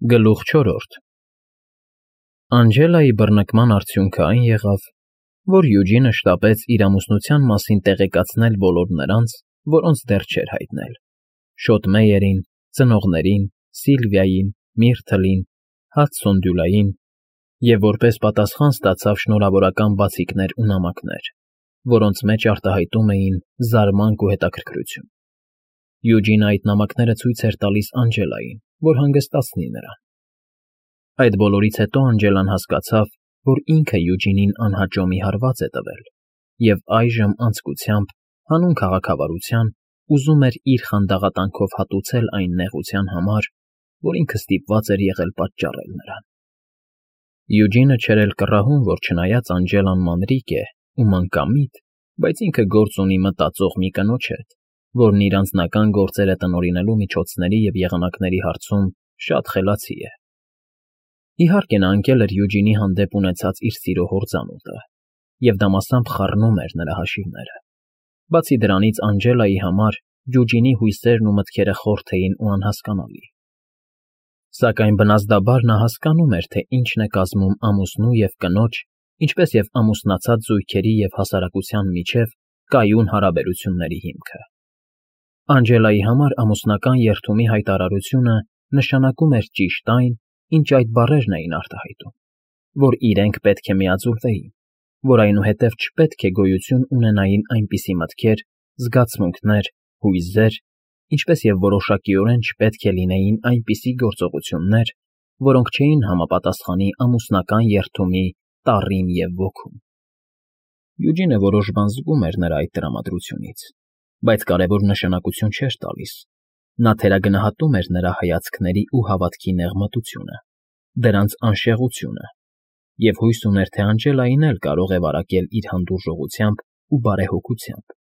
Գլուխ 4 Անջելայի բռնկման արդյունքը այն եղավ, որ Յուջինը շտապեց իր ամուսնության մասին տեղեկացնել բոլոր նրանց, որոնց դեռ չէր հայտնել. Շոտ Մեյերին, ծնողներին, Սիլվիային, Միրթլին, Հադսոն և որպես պատասխան ստացավ շնորհավորական բացիկներ ու նամակներ, որոնց մեջ արտահայտում էին զարմանք ու հետաքրքրություն։ Յուջինը այդ նամակները ցույց էր տալիս Անջելային, որ հանգստացնի նրան։ Այդ բոլորից հետո Անջելան հասկացավ, որ ինքը Յուջինին անհաճո մի հարված է տվել, և այժմ անձկությամբ, հանուն քաղաքավարության, ուզում էր իր խանդաղատանքով հատուցել այն նեղության համար, որ ինքը ստիպված էր եղել պատճառել նրան։ Յուջինը չէր էլ կռահում, որ չնայած Անջելան մանրիկ է ու մանկամիտ, բայց ինքը գործ ունի մտածող մի կնոջ հետ, որն իր անձնական գործերը տնօրինելու միջոցների և եղանակների հարցում շատ խելացի է։ Իհարկե, նա ընկել էր Յուջինի հանդեպ ունեցած իր սիրո հորձանուտը, և դա մասամբ խառնում էր նրա հաշիվները։ Բացի դրանից, Անջելայի համար Յուջինի հույսերն ու մտքերը խորթ էին ու անհասկանալի։ Սակայն բնազդաբար նա հասկանում էր, թե ինչն է կազմում ամուսնու և կնոջ, ինչպես և ամուսնացած զույգերի և հասարակության միջև կայուն հարաբերությունների հիմքը։ Անջելայի համար ամուսնական երդումի հայտարարությունը նշանակում էր ճիշտ այն, ինչ այդ բառերն էին արտահայտում, որ իրենք պետք է միաձուլվեին, որ այնուհետև չպետք է գոյություն ունենային այնպիսի մտքեր, զգացմունքներ, հույզեր, ինչպես և որոշակիորեն չպետք է լինեին այնպիսի գործողություններ, որոնք չէին համապատասխանի ամուսնական երդումի տառին և ոգուն։ Յուջինը որոշ բան զգում էր նրա այդ տրամադրությունից, բայց կարևոր նշանակություն չէր տալիս։ Նա թերագնահատում էր նրա հայացքների ու հավատքի նեղմտությունը, դրանց անշեղությունը, և հույս ուներ, թե Անջելային էլ կարող է վարակել իր հանդուրժողությամբ ու բարեհոգությամբ։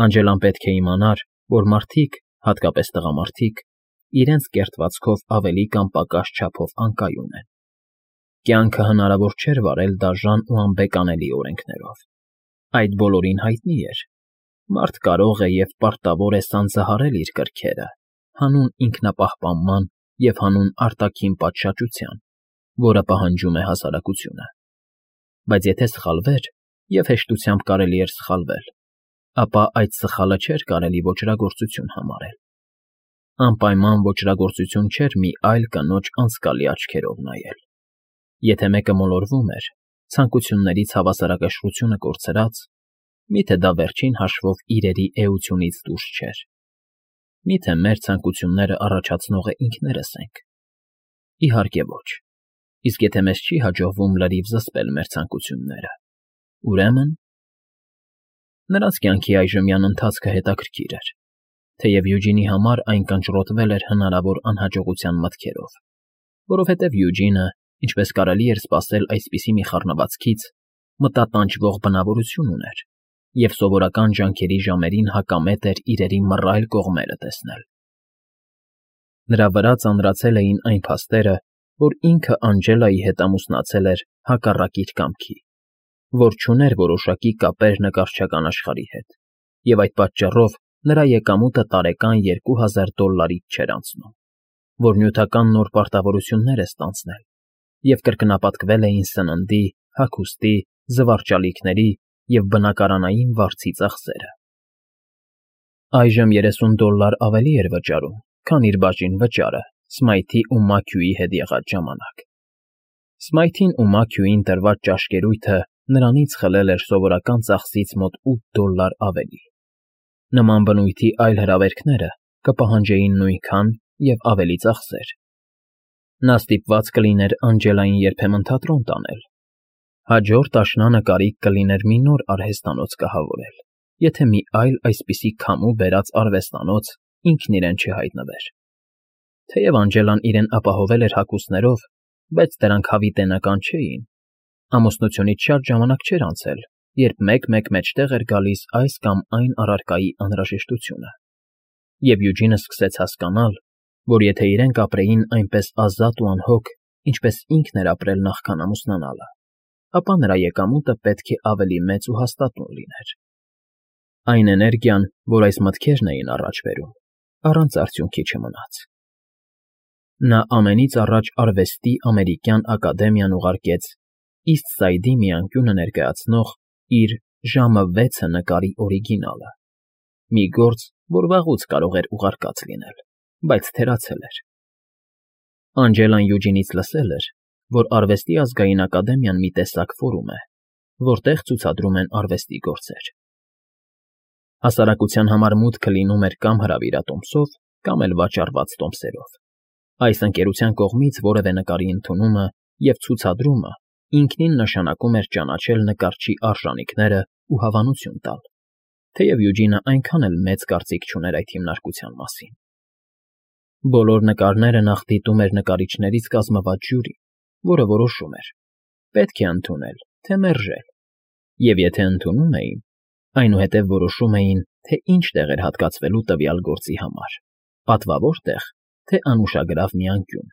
Անջելան պետք է իմանար, որ մարդիկ, հատկապես տղամարդիկ, իրենց կերտվածքով ավելի կամ պակաս չափով անկայուն են։ Կյանքը հնարավոր չէր վարել դաժան ու անբեկանելի օրենքներով։ Այդ բոլորին հայտնի էր։ Մարդ կարող է և պարտավոր է սանձահարել իր կրքերը, հանուն ինքնապահպանման և հանուն արտաքին պատշաճության, որը պահանջում է հասարակությունը։ Բայց եթե սխալվեր, և հեշտությամբ կարելի էր սխալվել, ապա այդ սխալը չէր կարելի ոճրագործություն համարել։ Անպայման ոճրագործություն չէր մի այլ կնոջ անձկալի աչքերով նայել։ Եթե մեկը մոլորվում էր, ցանկություններից հավասարակշռությունը կորցրած, միթե դա վերջին հաշվով իրերի էությունից դուրս չէր։ Միթե մեր ցանկությունները առաջացնողը ինքներս ենք։ Իհարկե ոչ։ Իսկ եթե մեզ չի հաջողվում լրիվ զսպել մեր ցանկությունները, ուրեմն… Նրանց կյանքի այժմյան ընթացքը հետաքրքիր էր, թեև Յուջինի համար այն կնճռոտվել էր հնարավոր անհաջողության մտքերով, որովհետև Յուջինը, ինչպես կարելի էր սպասել այսպիսի մի խառնվածքից, մտատանջվող բնավորություն ուներ և սովորական ջանքերի ժամերին հակամետ էր իրերի մռայլ կողմերը տեսնել։ Նրա վրա ծանրացել էին այն փաստերը, որ ինքը Անջելայի հետ ամուսնացել էր հակառակ իր կամքի, որ չուներ որոշակի կապեր նկարչական աշխարհի հետ, և այդ պատճառով նրա եկամուտը տարեկան $2000-ից չէր անցնում, որ նյութական նոր պարտավորություններ է ստանձնել, և կրկնապատկվել էին սննդի, հագուստի, զվարճալիքների և բնակարանային վարձի ծախսերը։ Այժմ $30 ավելի էր վճարում, քան իր բաժին վճարը Սմայթի ու Մաքյուի հետ եղած ժամանակ։ Սմայթին ու Մաքյուին տրված ճաշկերույթը նրանից խլել էր սովորական ծախսից մոտ $8 ավելի։ Նման բնույթի այլ հրավերքները կպահանջեին նույնքան և ավելի ծախսեր։ Նա ստիպված կլիներ Անջելային երբեմն թատրոն տանել։ Հաջորդ աշնանը կարիք կլիներ մի նոր արհեստանոց կահավորել, եթե մի այլ այսպիսի քամու բերած արվեստանոց ինքն իրեն չհայտնվեր։ Թեև Անջելան իրեն ապահովել էր հագուստներով, բայց դրանք հավիտենական չէին։ Ամուսնությունից շատ ժամանակ չէր անցել, երբ մեկ-մեկ մեջտեղ էր գալիս այս կամ այն առարկայի անհրաժեշտությունը, և Յուջինը սկսեց հասկանալ, որ եթե իրենք ապրեին այնպես ազատ ու անհոգ, ինչպես ինքն էր ապրել նախքան ամուսնանալը, ապա նրա եկամուտը պետք է ավելի մեծ ու հաստատուն լիներ։ Այն էներգիան, որ այս մտքերն էին առաջ բերում, առանց արդյունքի չմնաց։ Նա ամենից առաջ արվեստի ամերիկյան ակադեմիան ուղարկեց Իսթսայդի մի անկյունը ներկայացնող իր «Ժամը 6»-ը նկարի օրիգինալը, մի գործ, որ վաղուց կարող էր ուղարկած լինել, բայց թերացել էր։ Անջելան Յուջինից լսել էր, որ Արվեստի ազգային ակադեմիան մի տեսակ ֆորում է, որտեղ ցուցադրում են արվեստի գործեր։ Հասարակության համար մուտքը լինում էր կամ հրավիրատոմսով, կամ էլ վաճառված տոմսերով։ Այս ընկերության կողմից որևէ նկարի ընդունումը և ցուցադրումը ինքնին նշանակում էր ճանաչել նկարչի արժանիքները ու հավանություն տալ, թեև Յուջինը այնքան էլ մեծ կարծիք չուներ այդ հիմնարկության մասին։ Բոլոր նկարները նախ դիտում էր նկարիչներից կազմված ժյուրի, որը որոշում էր՝ պետք է ընդունել, թե մերժել, և եթե ընդունում էին, այնուհետև որոշում էին, թե ինչ տեղ էր հատկացվելու տվյալ գործի համար՝ պատվավոր տեղ, թե անուշագրավ մի անկյուն։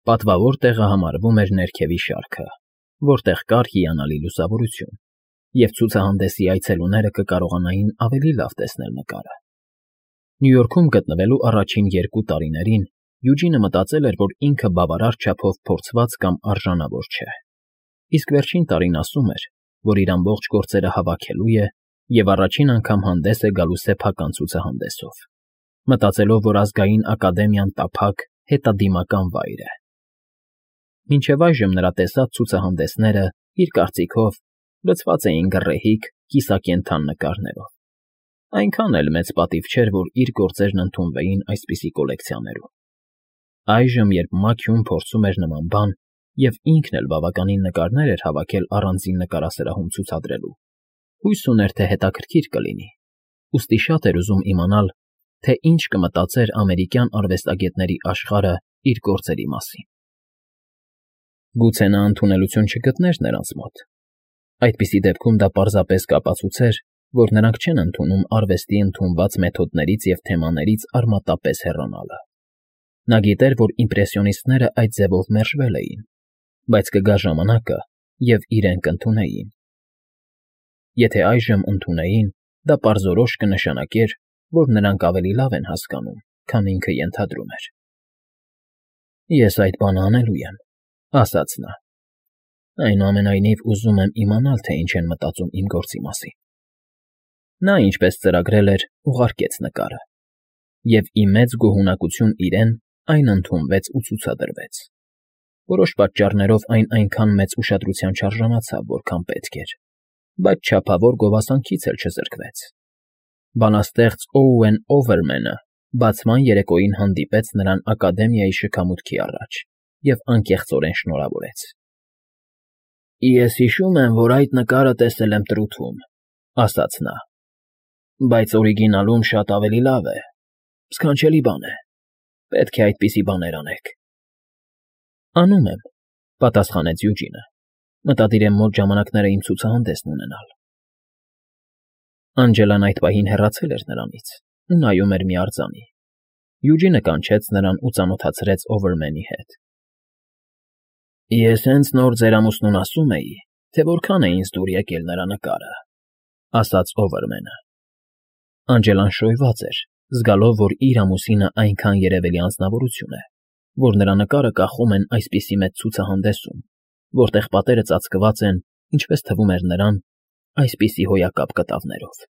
Պատվավոր տեղը համարվում էր ներքևի շարքը, որտեղ կար հիանալի լուսավորություն, և ցուցահանդեսի այցելուները կկարողանային ավելի լավ տեսնել նկարը։ Նյու Յորքում գտնվելու առաջին 2 տարիներին Յուջինը մտածել էր, որ ինքը բավարար չափով փորձված կամ արժանավոր չէ, իսկ վերջին տարին ասում էր, որ իր ամբողջ գործերը հավաքելու է և առաջին անգամ հանդես է գալու սեփական ցուցահանդեսով, մտածելով, որ ազգային ակադեմիան տափակ, հետադիմական վայր է։ Մինչև այժմ նրա տեսած ցուցահանդեսները, իր կարծիքով, լցված էին գռեհիկ, կիսակենդան նկարներով։ Այնքան էլ մեծ պատիվ չէր, որ իր գործերն ընդունվեին այսպիսի կոլեկցիաներում։ Այժմ, երբ Մաքյուն փորձում էր նման բան, և ինքն էլ բավականին նկարներ էր հավաքել առանձին նկարասրահում ցուցադրելու, հույս ուներ, թե հետաքրքիր կլինի, ուստի շատ էր ուզում իմանալ, թե ինչ կմտածեր ամերիկյան արվեստագետների աշխարհը իր գործերի մասին։ Գուցե նա ընդունելություն չգտներ նրանց մոտ։ Այդպիսի դեպքում դա պարզապես կապացուցեր, որ նրանք չեն ընդունում արվեստի ընդունված մեթոդներից և թեմաներից արմատապես հեռանալը։ Նա գիտեր, որ իմպրեսիոնիստները այդ ձևով մերժվել էին, բայց կգա ժամանակը, և իրենք կընդունեին։ Եթե այժմ ընդունեին, դա պարզորոշ կնշանակեր, որ նրանք ավելի լավ են հասկանում, քան ինքը ենթադրում էր։ «Ես այդ բանը անելու եմ», ասաց նա։ «Այնուամենայնիվ ուզում եմ իմանալ, թե ինչ են մտածում իմ գործի մասին»։ Նա, ինչպես ծրագրել էր, ուղարկեց նկարը, և ի մեծ գոհունակություն իրեն այն ընդունվեց ու ցուցադրվեց։ Որոշ պատճառներով այն այնքան մեծ ուշադրության չարժանացավ, որքան պետք էր, բայց չափավոր գովասանքից էլ չզրկվեց։ Բանաստեղծ Օուեն Օվերմենը բացման երեկոյին հանդիպեց նրան ակադեմիայի շքամուտքի առաջ և անկեղծորեն շնորհավորեց։ «Ես հիշում եմ, որ այդ նկարը տեսել եմ Տռութում», ասաց նա, «բայց օրիգինալում շատ ավելի լավ է, սքանչելի բան է, պետք է այդպիսի բաներ անեք»։ «Անում եմ», պատասխանեց Յուջինը, «մտադիր եմ մոտ ժամանակները իմ ցուցահանդեսն ունենալ»։ Անջելան այդ պահին հեռացել էր նրանից ու նայում էր մի արձանի։ Յուջինը կանչեց նրան ու ծանոթացրեց Օվերմենի հետ։ «Ես հենց նոր ձեր ամուսնուն ասում էի, թե որքան է ինձ դուր եկել նրա նկարը», ասաց Օվերմենը։ Անջելան շոյված էր, զգալով, որ իր ամուսինը այնքան երևելի անձնավորություն է, որ նրա նկարը կախում են այսպիսի մեծ ցուցահանդեսում, որտեղ պատերը ծածկված են, ինչպես թվում էր նրան, այսպիսի հոյակապ կտավներով,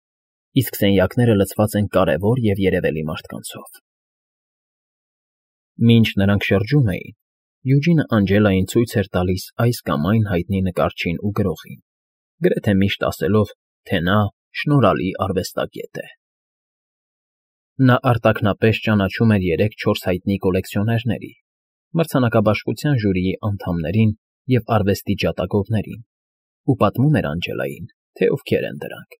իսկ սենյակները լցված են կարևոր և երևելի մարդկանցով։ Մինչ նրանք շրջում էին, Յուջինը Անջելային ցույց էր տալիս այս կամ այն հայտնի նկարչին ու գրողին, գրեթե միշտ ասելով, թե նա շնորհալի արվեստագետ է։ Նա արտաքնապես ճանաչում էր 3-4 հայտնի կոլեկցիոներների, մրցանակաբաշխության ժյուրիի անդամներին և արվեստի ջատագովներին, ու պատմում էր Անջելային, թե ովքեր են դրանք։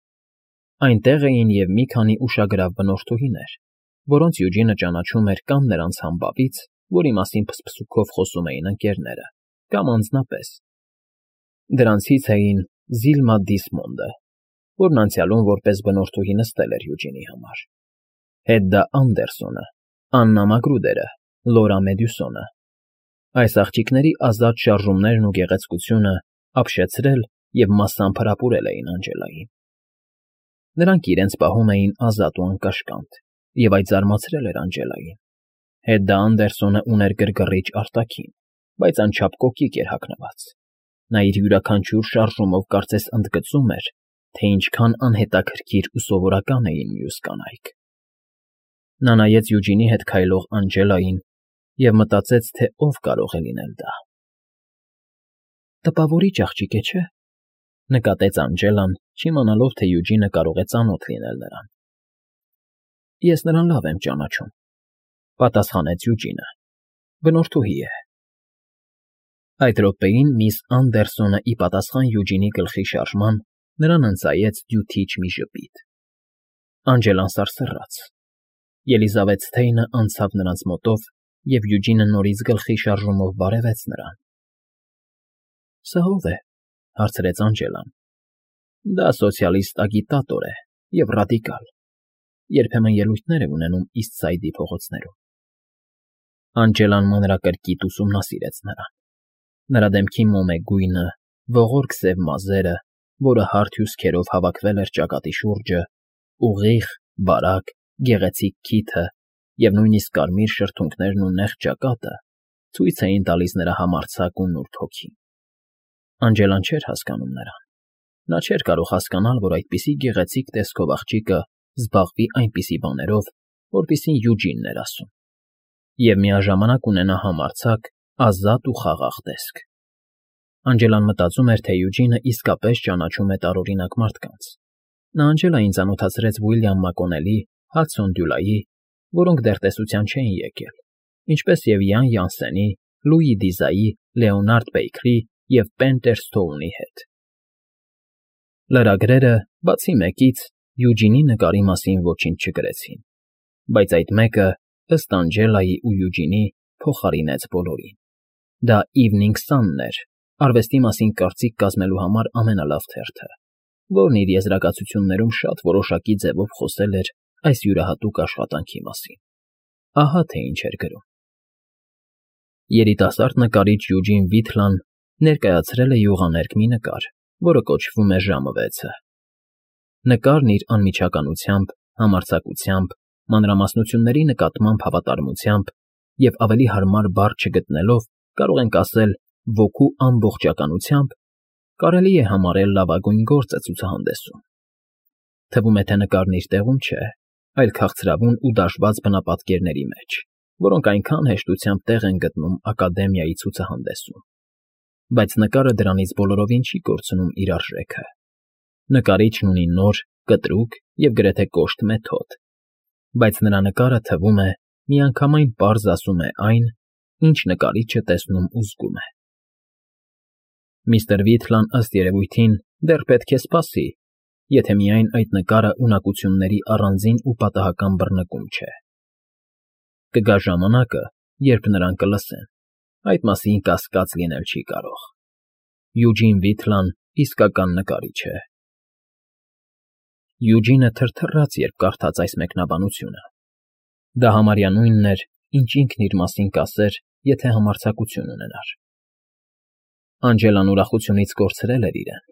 Այնտեղ էին և մի քանի ուշագրավ բնորդուհիներ, որոնց Յուջինը ճանաչում էր կամ նրանց համբավից, որի մասին փսփսուքով խոսում էին ընկերները, կամ անձնապես։ Դրանցից էին Զիլմա Դիսմոնդը, որն անցյալում որպես բնորդուհի նստել էր Յուջինի համար, Հեդդա Անդերսոնը, Աննա Մագրուդերը, Լորա Մեդյուսոնը։ Այս աղջիկների ազատ շարժումներն ու գեղեցկությունը ապշեցրել և մասամբ հրապուրել էին Անջելային։ Նրանք իրենց պահում էին ազատ ու անկաշկանդ, և այդ զարմացրել էր Անջելային։ Հետդա Անդերսոնը ուներ գրգռիչ արտաքին, բայց անչափ կոկիկ էր հագնված։ Նա իր յուրաքանչյուր շարժումով կարծես ընդգծում էր, թե ինչքան անհետաքրքիր ու սովորական էին մյուս կանայք։ Նա նայեց Յուջինի հետ քայլող Անջելային և մտածեց, թե ով կարող է լինել դա։ «Տպավորիչ աղջիկ է, չէ՞», նկատեց Անջելան, չիմանալով, թե Յուջինը կարող է ծանոթ լինել նրան։ «Ես նրան լավ եմ ճանաչում», պատասխանեց Յուջինը։ «Բնորդուհի է»։ Այդ րոպեին միս Անդերսոնը ի պատասխան Յուջինի գլխի շարժման նրան ընծայեց դյութիչ մի ժպիտ։ Անջելան սարսռաց։ Ելիզավեթ Սթեյնը անցավ նրանց մոտով, և Յուջինը նորից գլխի շարժումով բարևեց նրան։ «Սա ո՞վ է», հարցրեց Անջելան։ «Դա սոցիալիստ ագիտատոր է և ռադիկալ. երբեմն ելույթներ է ունենում Իսթսայդի փողոցներում»։ Անջելան մանրակրկիտ ուսումնասիրեց նրան։ Նրա դեմքի մոմե գույնը, ողորկ սև մազերը, որը հարթ հյուսքերով հավաքվել էր ճակատի շուրջը, ուղիղ, բարակ, գեղեցիկ քիթը և նույնիսկ կարմիր շրթունքներն ու նեղ ճակատը ցույց էին տալիս նրա համարձակ ու նուրբ հոգին։ Անջելան չէր հասկանում նրան։ Նա չէր կարող հասկանալ, որ այդպիսի գեղեցիկ տեսքով աղջիկը զբաղվի այնպիսի բաներով, որպիսին Յուջինն էր ասում, և միաժամանակ ունենա համարձակ, ազատ ու խաղաղ տեսք։ Անջելան մտածում էր, թե Յուջինը իսկապես ճանաչում է տարօրինակ մարդկանց։ Նա Անջելային ծանոթացրեց Ուիլյամ Մակոնելի, Հադսոն Դյուլայի, որոնք դեռ տեսության չէին եկել, ինչպես և Յան Յանսենի, Լուի Դիզայի, Լեոնարդ Բեյքրի և Պենտեր Սթոունի հետ։ Լրագրերը, բացի մեկից, Յուջինի նկարի մասին ոչինչ չգրեցին, բայց այդ մեկը, ըստ Անջելայի ու Յուջինի, փոխարինեց բոլորին։ Դա Evening Sun-ն էր, արվեստի մասին կարծիք կազմելու համար ամենալավ թերթը, որն իր եզրակացություններում շատ որոշակի ձևով խոսել էր այս յուրահատուկ աշխատանքի մասին։ Ահա թե ինչ էր գրում. երիտասարդ նկարիչ Յուջին Վիթլան ներկայացրել է յուղաներկ մի նկար, որը կոչվում է «Ժամը 6»։ Նկարն իր անմիջականությամբ, համարձակությամբ, մանրամասնությունների նկատմամբ հավատարմությամբ և ավելի հարմար բառ չգտնելով, կարող ենք ասել ոգու ամբողջականությամբ, կարելի է համարել լավագույն գործը ցուցահանդեսում։ Թվում է, թե նկարն իր տեղում չէ, այլ քաղցրավուն ու դաշված բնապատկերների մեջ, որոնք այնքան հեշտությամբ տեղ են գտնում Ակադեմիայի ցուցահանդեսում։ Բայց նկարը դրանից բոլորովին չի կորցնում իր արժեքը։ Նկարիչն ունի նոր, կտրուկ և գրեթե կոշտ մեթոդ, բայց նրա նկարը, թվում է, միանգամայն պարզ ասում է այն, ինչ նկարիչը տեսնում ու զգում է։ Միստր Վիթլան, ըստ երևույթին, դեռ պետք է սպասի, եթե միայն այդ նկարը ունակությունների առանձին ու պատահական բռնկում չէ։ Կգա ժամանակը, երբ նրան կլսեն, այդ մասին կասկած լինել չի կարող։ Յուջին Վիթլան իսկական նկարիչ է։ Յուջինը թրթռաց, երբ կարդաց այս մեկնաբանությունը։ Դա համարյա նույնն էր, ինչ ինքն իր մասին կասեր, եթե համարձակություն ունենար։ Անջելան ուրախությունից կորցրել էր իրեն։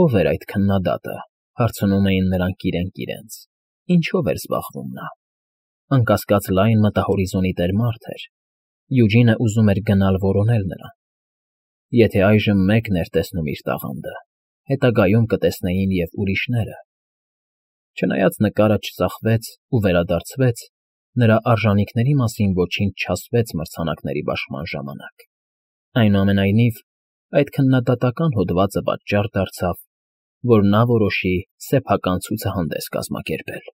Ո՞վ էր այդ քննադատը, հարցնում էին նրանք իրենք իրենց։ Ինչո՞վ էր զբաղվում նա։ Անկասկած լայն մտահորիզոնի տեր մարդ էր։ Յուջինը ուզում էր գնալ որոնել նրան։ Եթե այժմ մեկն էր տեսնում իր տաղանդը, հետագայում կտեսնեին և ուրիշները։ Չնայած նկարը չծախվեց ու վերադարձվեց, նրա արժանիքների մասին ոչինչ չասվեց մրցանակների բաշխման ժամանակ։ Այնուամենայնիվ, այդ քննադատական հոդվածը պատճառ դարձավ, որ նա որոշի սեփական ցուցահանդես կազմակերպել։